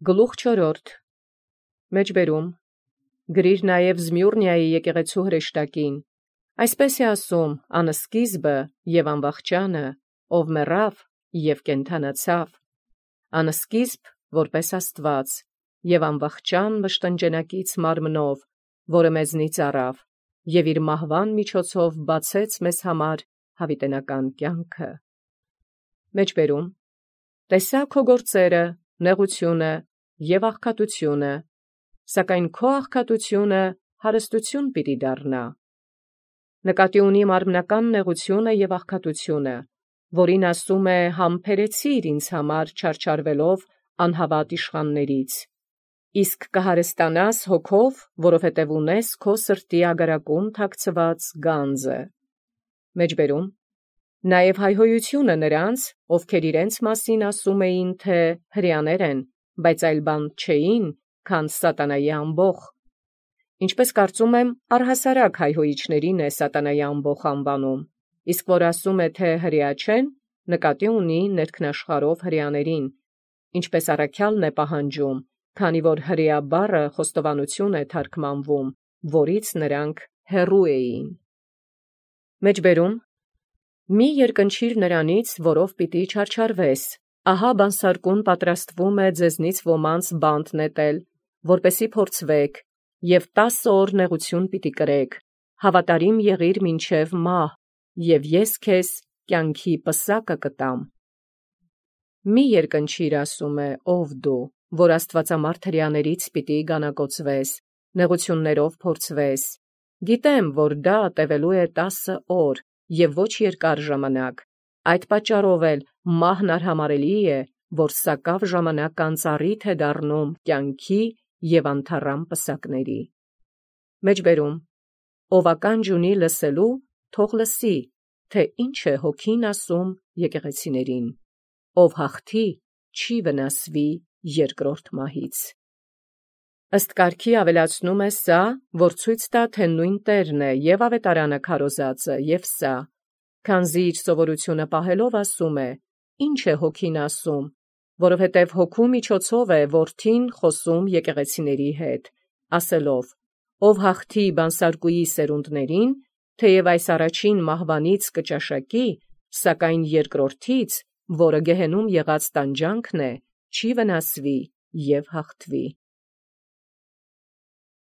Գլուխ 4. Մեջբերում գրիր նաև Զմյուռնիայի եկեղեցու հրեշտակին. այսպես է ասում անսկիզբը և անվախճանը, ով մեռավ և կենդանացավ, անսկիզբ որպես Աստված, և անվախճան մշտնջենակից մարմնով, որը մեզնից առավ, և իր մահվան միջոցով բացեց մեզ համար հավիտենական կյանքը։ Մեջբերում տեսա քո գործերը, նեղությունը և աղքատությունը, սակայն քո աղքատությունը հարստություն պիտի դառնա։ Նկատի ունի մարմնական նեղությունը և աղքատությունը, որին ասում է համբերեցիր ինձ համար չարչարվելով անհավատ իշխաններից, իսկ կհարստանաս հոգով, որովհետև ունես քո սրտի ագարակում թաքցված գանձը։ Մեջբերում նաև հայհոյությունը նրանց, ովքեր իրենց մասին ասում էին, թե հրեաներ են, բայց այլ բան չէին, քան սատանայի ամբոխ։ Ինչպես կարծում եմ, առհասարակ հայհոյիչներին է սատանայի ամբոխ անվանում, իսկ որ ասում է, թե հրեա չեն, նկատի ունի ներքնաշխարհով հրեաներին, ինչպես առաքյալն է պահանջում, քանի որ հրեա բառը խոստովանություն է թարգմանվում, որից նրանք հեռու էին։ Մեջբերում մի երկնչիր նրանից, որով պիտի չարչարվես, ահա բանսարկուն պատրաստվում է ձեզնից ոմանց բանտ նետել, որպեսի փորձվեք, և 10 օր նեղություն պիտի կրեք, հավատարիմ եղիր մինչև մահ, և ես քեզ կյանքի պսակը կտամ։ Մի երկնչիր ասում է, ով դու, որ աստվածամարդ հրեաներից պիտի գանակոծվես, նեղություններով փորձվես։ Գիտեմ, որ դա տևելու է 10 օր և ոչ երկար ժամանակ, այդ պատճառով էլ մահն արհամարելի է, որ սակավ ժամանակ անծառիթ է դառնում կյանքի և անթառամ պսակների։ Մեջբերում ով ականջ ունի լսելու, թող լսի, թե ինչ է հոգին ասում եկեղեցիներին, ով հաղթի, չի վնասվի երկրորդ մահից։ Ըստ կարգի ավելացնում է սա, որ ցույց տա, թե նույն Տերն է և ավետարանը քարոզածը, և սա, քանզի իր սովորությունը պահելով ասում է. ինչ է հոգին ասում, որովհետև հոգու միջոցով է որդին խոսում եկեղեցիների հետ, ասելով. ով հաղթի բանսարկուի սերունդներին, թեև այս առաջին մահվանից կճաշակի, սակայն երկրորդից, որը գեհենում եղած տանջանքն է, չի վնասվի և հաղթվի։